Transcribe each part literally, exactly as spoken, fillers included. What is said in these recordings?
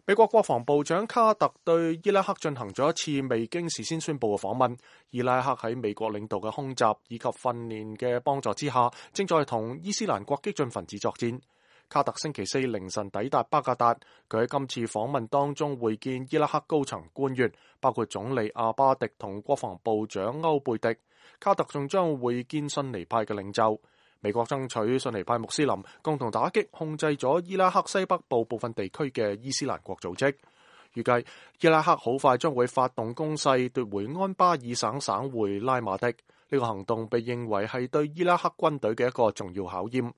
美國國防部長卡特對伊拉克進行咗一次未經事先宣布嘅訪問。伊拉克喺美國領導嘅空襲以及訓練嘅幫助之下，正在同伊斯蘭國激進分子作戰。卡特星期四凌晨抵達巴格達，佢喺今次訪問當中會見伊拉克高層官員，包括總理阿巴迪同國防部長歐貝迪。卡特仲將會見遜尼派嘅領袖。美國爭取遜尼派穆斯林共同打擊控制咗伊拉克西北部部分地區嘅伊斯蘭國組織。預計伊拉克好快將會發動攻勢奪回安巴爾省省會拉馬迪。呢個行動被認為係對伊拉克軍隊嘅一個重要考驗。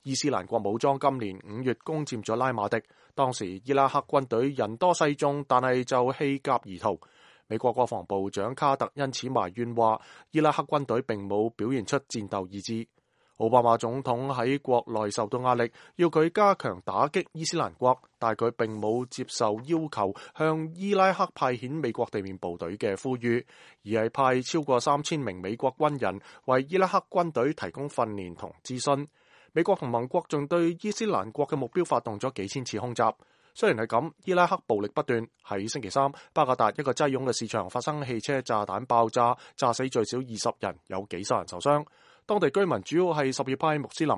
伊斯蘭國武裝今年五月攻佔咗拉馬迪，當時伊拉克軍隊人多勢眾，但係就棄甲而逃。美國國防部長卡特因此埋怨話，伊拉克軍隊並冇表現出戰鬥意志。奧巴馬總統喺國內受到壓力，要佢加強打擊伊斯蘭國，但佢並冇接受要求向伊拉克派遣美國地面部隊嘅呼籲，而係派超過三千名美國軍人為伊拉克軍隊提供訓練同諮詢。美國同盟國仲對伊斯蘭國嘅目標發動咗幾千次空襲。雖然係咁，伊拉克暴力不斷。喺星期三，巴格達一個擠擁嘅市場發生汽車炸彈爆炸，炸死最少二十人，有幾十人受傷。當地居民主要係什葉派穆斯林，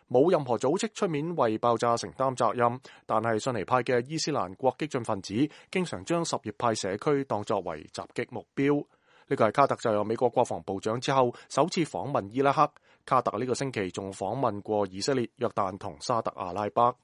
冇任何組織出面為爆炸承擔責任。但係遜尼派嘅伊斯蘭國激進分子經常將什葉派社區當作為襲擊目標。呢個係卡特就任美國國防部長之後首次訪問伊拉克。卡特呢個星期仲訪問過以色列、約旦同沙特阿拉伯。